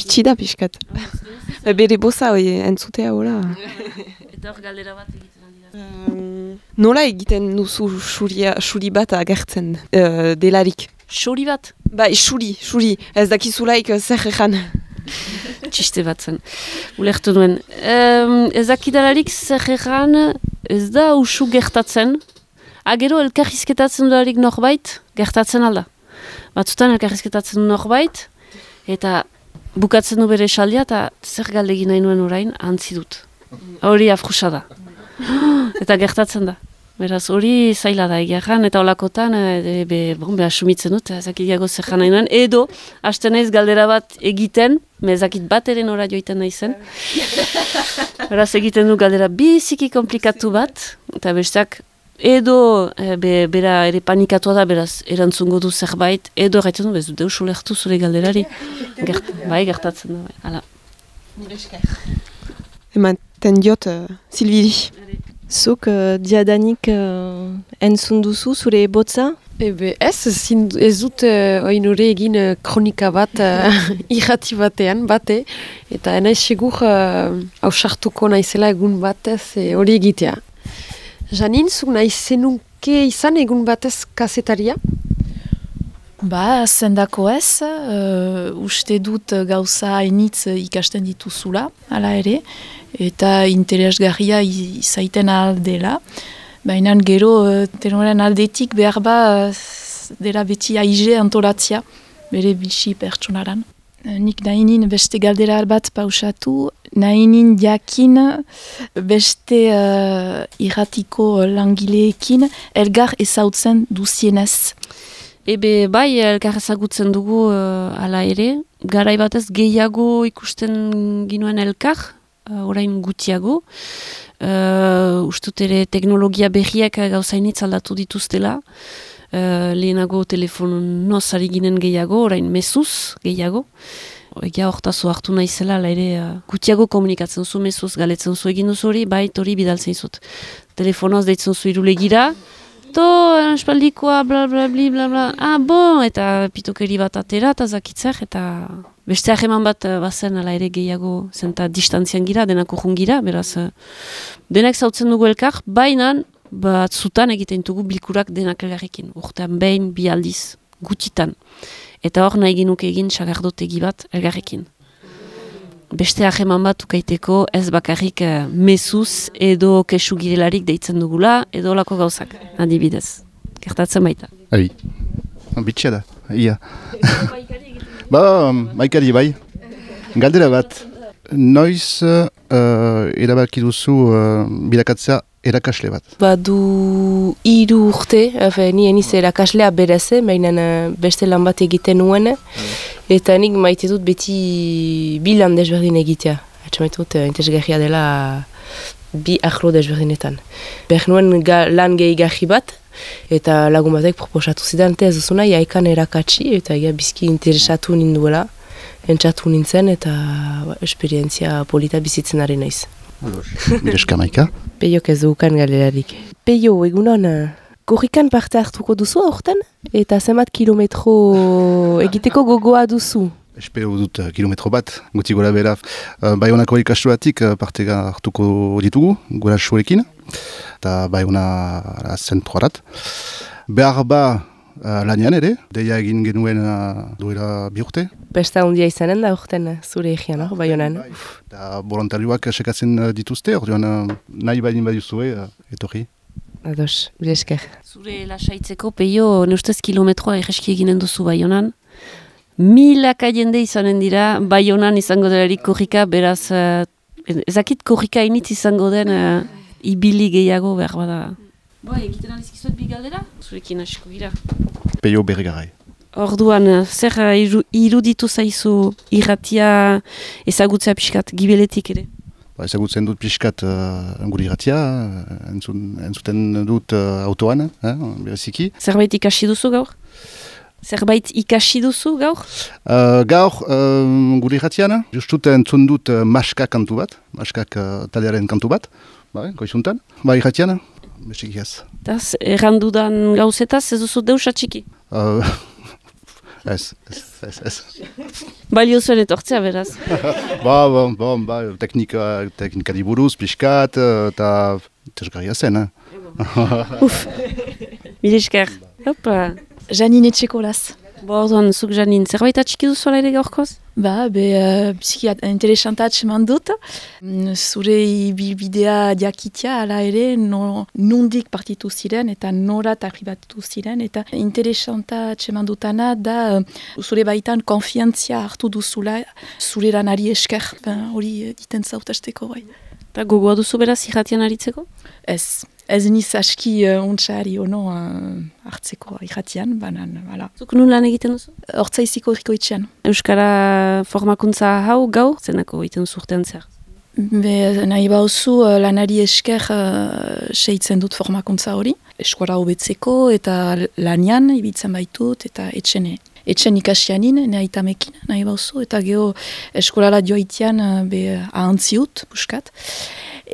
bitxi da pixkat. Bere boza entzutea hola. Eta hor galdera bat egiten dira. Nola egiten duzu xuri bat agertzen delarik? Xuri bat? Bai, xuri. Ez dakizulaik zer egan. Txiste bat zen. Ulertu duen. Ez dakidalarik zer egan ez da usu gertatzen. Gero elkarrizketatzen duarik norbait, gertatzen alda. Batzutan elkarrizketatzen du norbait, eta bukatzen du bere esaldia, eta zer galdegin nahi nuen orain, antzi dut. Hori afrusa da. Eta gertatzen da. Beraz, hori zaila da egiaran, eta olakotan, asumitzen dut, ezakidiago zer nahi nuen, edo, hasten naiz galdera bat egiten, ezakit bat eren ora joiten nahi zen. Beraz, egiten du galdera biziki komplikatu bat, eta besteak, edo bera ere panikatua da, beraz, erantzungo du zerbait, edo erraiten du, bez du deus ulertu zure galderari. Bai, gertatzen da, bai. Hala. Ematen diot, Silviri. Zuk diadanik entzun duzu zure botza? Ez dut oinure egin kronika bat irrati batean, bate, eta enaiz segur hausartuko naizela egun batez hori egitea. Janin, zuk nahi zenuke izan egun batez kazetaria? Zendako ez, uste dut gauza hainitz ikasten dituzula, hala ere, eta interesgarria izaiten aldela. Baina gero, tenoren aldetik behar dela beti aize antolatzia, bere bizi pertsonaran. Nik nahinin beste galdera bat pausatu, nahinin jakin beste irratiko langileekin elgar ezautzen duzienez. Bai, elkar ezagutzen dugu ala ere, garai batez gehiago ikusten ginuen elkar, orain gutiago. Ustut ere teknologia berriak gauzainitz aldatu dituztela. Lehenago telefonoz ari ginen gehiago, orain mezuz gehiago. Egia hortazu hartu naizela, ere gutiago komunikatzen zu mezuz, galetzen zu egin duzu hori, bai, hori bidaltzen izut. Telefonoz deitzen zu irulegira, espaldikoa, bla bla bla bla bla, eta pitokeri bat atera, eta zakitzer, eta beste aheman bat bazen ala ere gehiago, zenta distantzian gira, denako jungira, beraz, denak zautzen dugu elkar, baina batzutan egiten dugu bilkurak denak elgarrekin, urtean behin, bi aldiz, gutitan. Eta hor nahi genuke egin sagardotegi bat elgarrekin. Beste aheman bat ukaiteko ez bakarrik mezuz edo kesu girelarik deitzen dugula, edo olako gauzak, adibidez. Gertatzen baita. Abi, bitxea da, ia. Maikari bai. Galdera bat, noiz erabaki duzu bilakatzea erakasle bat? Badu 3 urte, ni eniz erakaslea bereze, baina beste lan bat egiten nuen, eta nik maite dut beti bi lan desberdin egitea. Maite dut interesgarria dela bi ahlo desberdinetan. Behar nuen lan gehigarri bat, eta lagun batek proposatu zidan, ez duzu nahi haikan erakatsi, eta bizki interesatu ninduela, entzatu nintzen, eta esperientzia polita bizitzen ari naiz. Mireska Maika? Peiok ez dukan galerarik. Peio, egunon, korrikan parte hartuko duzu aurten? Eta zenbat kilometro egiteko gogoa duzu? Espero dut kilometro bat, guti gora bera. Baionako ikastuatik parte hartuko ditugu, gora suekin. Eta Baiona zentroarat. Behar lanian ere, deia egin genuen duela 2 urte. Besta hundia izanen da urten zure egian, Baionan. Eta voluntarioak sekatzen dituzte, orduan nahi bain baduzue, etorri. Ados, bilesker. Zure lasaitzeko, Peio, neustez kilometroa egeski eginen duzu Baionan. Milaka jende izanen dira, Baionan izango delarik korrika, beraz, ezakit korrika initz izango den ibili gehiago behar bada. Egiten alizkizuet bi galdera? Zurekin hasiko gira. Peio Bergarai. Orduan, zer iruditu zaizu irratia ezagutzea pixkat, gibeletik ere? Ezagutzen dut pixkat gure irratia, entzuten dut autoan, bereziki. Zerbait ikasi duzu gaur? Gaur, gure irratian, justut entzun dut Maska kantu bat, Maskak taldearen kantu bat, goizuntan, irratian. Besikiaz. Errandudan gauzetaz, ez duzu deus atxiki? Ez. Balio zuen etortzea, beraz. Teknikari buruz, pixkat, eta tesgarria zen, Mil esker. Hopa. Janine Etxekolaz. Orduan, zuk Janin, zerbait atxiki duzu ala ere gaurkoz? Biziki interesanta atseman dut. Zure ibilbidea diakitia ala ere nondik partitu ziren eta norat arribatu ziren. Eta interesanta atseman dutana da zure baitan konfiantzia hartu duzula zure lanari esker. Hori diten zautasteko bai. Eta gogoa duzu beraz irratian aritzeko? Ez niz aski ontsari ono hartzeko irratian, banan, hala. Zuk nun lan egiten duzu? Hortzaiziko erikoitzean. Euskara formakuntza hau gaur, zenako egiten zurtean zer? Nahi bauzu lanari esker seitzen dut formakuntza hori. Eskola hobetzeko eta lanian ibitzen baitut eta etxen ikasianin, nahitamekin nahi bauzu. Eta geho eskolala joaitean ahantziut, buskat.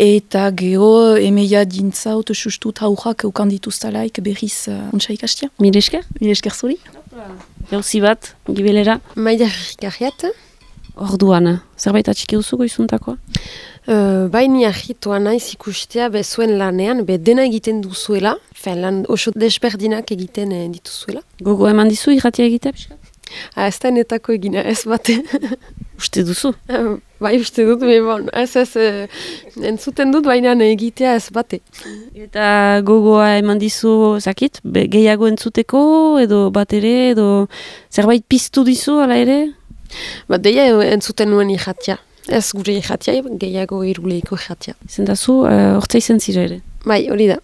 Eta geho emeia dintzaut sustut haujak eukandituztalaik berriz ontsa ikastia. Mil esker? Mil esker zuri. Jauzi bat, gibelera. Maida Rikarriat. Orduan, zerbait atxiki duzu goizuntakoa? Baini ahitua naiz ikustea zuen lanean, dena egiten duzuela, lan oso desberdinak egiten dituzuela. Gogo eman dizu irratia egitea, pixka? Ez da netako egina, ez bate. Uste duzu? Bai, uste dut, entzuten dut, baina egitea ez bate. Eta gogoa eman dizu, zakit, gehiago entzuteko, edo bat ere, edo zerbait piztu dizu, ala ere? Deia entzuten nuen irratia. Ez gure irratia, gehiago iruleiko irratia. Izen dazu, hortza izan zira ere? Bai, hori da.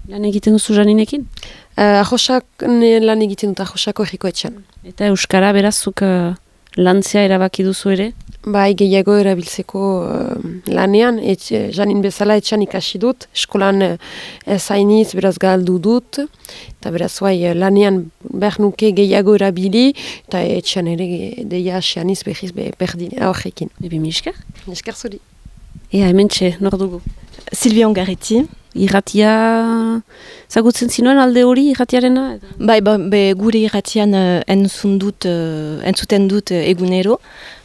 Lan egiten duzu Janinekin? Ahosak lan egiten dut, ahosako errikoetxean. Eta Euskara berazuk lantzea erabaki duzu ere? Bai, gehiago erabiltzeko lanean, Janin bezala etxan ikasi dut, eskolan ez hainiz beraz galdu dut, eta beraz lanean behar nuke gehiago erabili, eta etxan ere deia asianiz behiz berdin horrekin. Ebi misker? Misker zuri. Ea, hemen txe, nor dugu? Silvia Ongarriti. Irratia, zagutzen zinuen alde hori irratiarena? Bai, gure irratian entzuten dut egunero,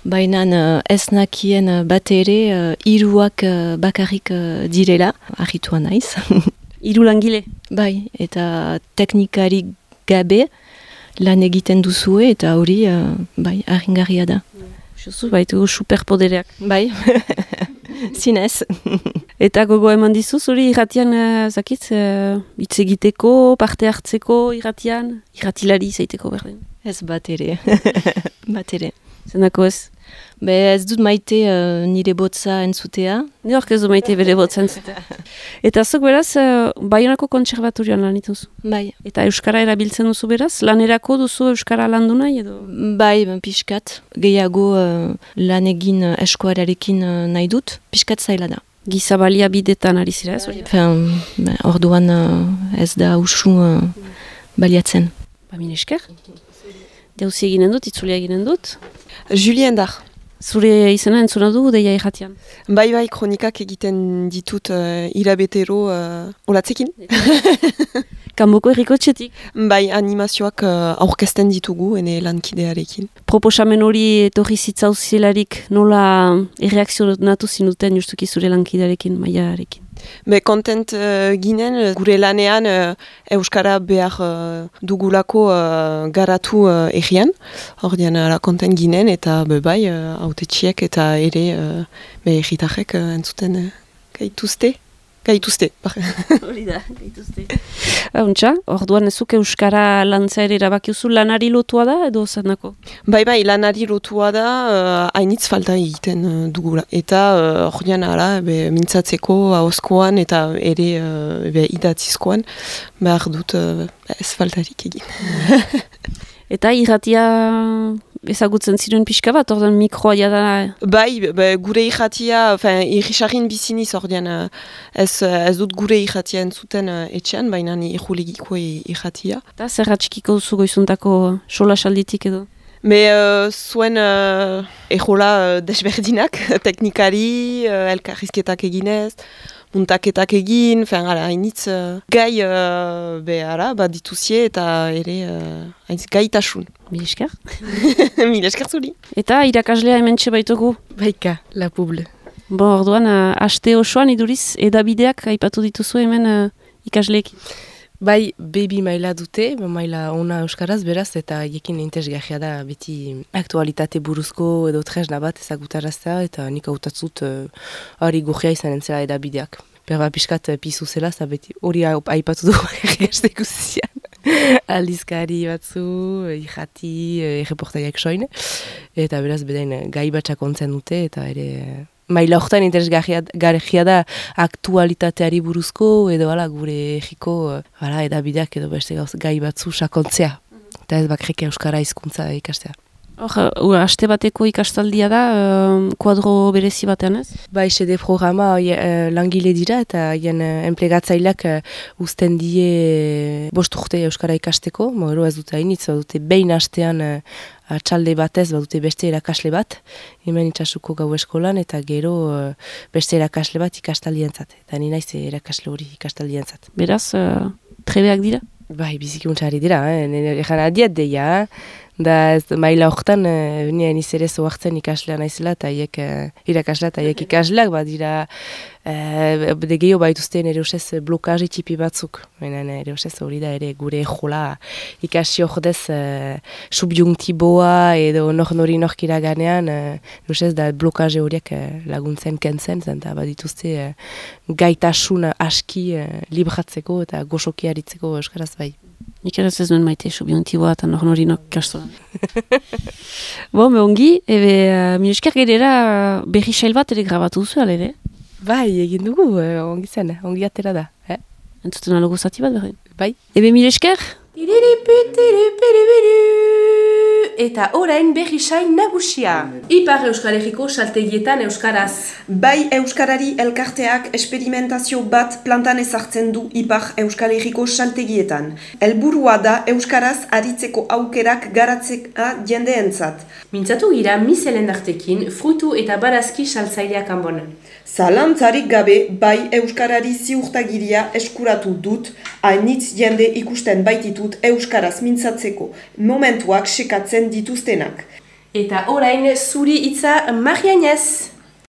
baina ez nakien bat ere hiruak bakarrik direla, argitua naiz. Hiru langile? Bai, eta teknikari gabe lan egiten duzue eta hori argingarria da. Jozu, baitugu superpodereak. Bai, zinez. Eta gogo eman dizu, zuri irratian, zakitz, hitz egiteko, parte hartzeko irratian, irratilari zaiteko berdin? Ez bat ere, bat ere. Zenako ez? Ez dut maite nire botza entzutea. Ni hork ez du maite bere botza entzutea. Eta zuk beraz, Baionako kontserbatorioan lan ituzu? Bai. Eta Euskara erabiltzen duzu beraz? Lanerako duzu Euskara landu nahi edo? Bai, pixkat. Gehiago lan egin eskoararekin nahi dut, pixkat zaila da. Gizabalia bidetan ari zira ez? Orduan ez da usu baliatzen. Min esker? Jauzi eginen dut, itzulia eginen dut. Julien Dar. Zure izena entzuna dugu deia irratian? Bai, kronikak egiten ditut hilabetero olatzekin. Kanboko errikotxetik? Bai, animazioak aurkezten ditugu, ene lankidearekin. Proposamen hori etorri zitzauzelarik nola erreakzionatu zinuten justuki zure lankidearekin, maiarekin? Kontent ginen, gure lanean Euskara behar dugulako garatu egian. Ordean kontent ginen eta bai, autetxiek eta ere erritarrek entzuten gaituzte. Hori da, gaituzte. Untxa, orduan ezuk Euskara lantza ere erabakiuzu lanari lotua da edo zanako? Bai, lanari lotua da, hainitz falta egiten dugula. Eta ordean mintzatzeko ahozkoan eta ere idatzizkoan behar dut ez faltarik egin. Eta irratia ezagutzen ziren pixka bat, ordean mikroa jada? Bai, gure irratia, irrisarrin biziniz ordean ez dut gure irratia entzuten etxean, baina irrulegiko irratia. Eta zer atxikiko duzu goizuntako sola salditik edo? Zuen ejola desberdinak, teknikari, elkarrizketak eginez, muntaketak egin, hainitz gai dituzie eta ere hainitz gaitasun. Mil esker. Mil esker zuri. Eta irakaslea hementxe baitugu. Baika, la publi. Orduan, aste osoan iduriz edabideak aipatu dituzu hemen ikasleekin. Bai, baby maila dute, maila ona euskaraz beraz, eta hiekin interesgarria da beti aktualitate buruzko edo tresna bat ezagutaraztea, eta nik hautatzut hori gurria izanen zela edabideak. Berba pixkat pizu zela, eta beti hori aipatu du egazte guzian. Aldizkari batzu, irrati, erreportaiak soin, eta beraz bedain gai batxak ontzen dute, eta ere... Maila horretan interesgarria da aktualitateari buruzko edo gure egiko edabideak edo beste gai batzu sakontzea. Eta ez bakrike euskara hizkuntza ikastea. Aste bateko ikastaldia da, kuadro berezi batean ez? Bai, sede programa langile dira eta hien enplegatzaileak uzten die 5 urte euskara ikasteko. Gero ez dute hainitz, dute behin astean atxalde batez badute beste erakasle bat, hemen itxasuko gau eskolan, eta gero beste erakasle bat ikastaldientzat. Eta ni naiz erakasle hori ikastaldientzat. Beraz, trebeak dira? Bai, bizikuntxari dira, egan adiat deia, da ez maila horretan, nien izere zoartzen ikaslea naizela, eta haiek irakaslea, eta haiek ikasleak, badira, de gehiago baituzten ere usez blokaje tipi batzuk. Ere usez hori da ere gure jola ikasi ordez subjunktiboa edo nori norkira ganean, usez da blokaje horiek laguntzen kentzen, eta badituzte gaitasun aski libratzeko eta goxoki aritzeko euskaraz bai. Nik ere ez nuen maite subjunktiboa eta nori kastoran. Ongi, mil esker gerera berri sail bat ere grabatu duzu, ere? Bai, egin dugu, ongi zen, ongi atera da. Entzuten alogo zati bat berri? Bai. Mil esker? Eta orain berri sain nagusia. Ipar Euskal Herriko saltegietan euskaraz. Bai Euskarari elkarteak esperimentazio bat plantan ezartzen du Ipar Euskal Herriko saltegietan. Helburua da euskaraz aritzeko aukerak garatzea jendeentzat. Mintzatu gira miselendartekin fruitu eta barazki saltzaileak anbon. Zalantzarik gabe bai euskarari ziurtagiria eskuratu dut, hainitz jende ikusten baititut euskaraz mintzatzeko momentuak sekatzen dituztenak. Eta orain zuri hitza Marianez.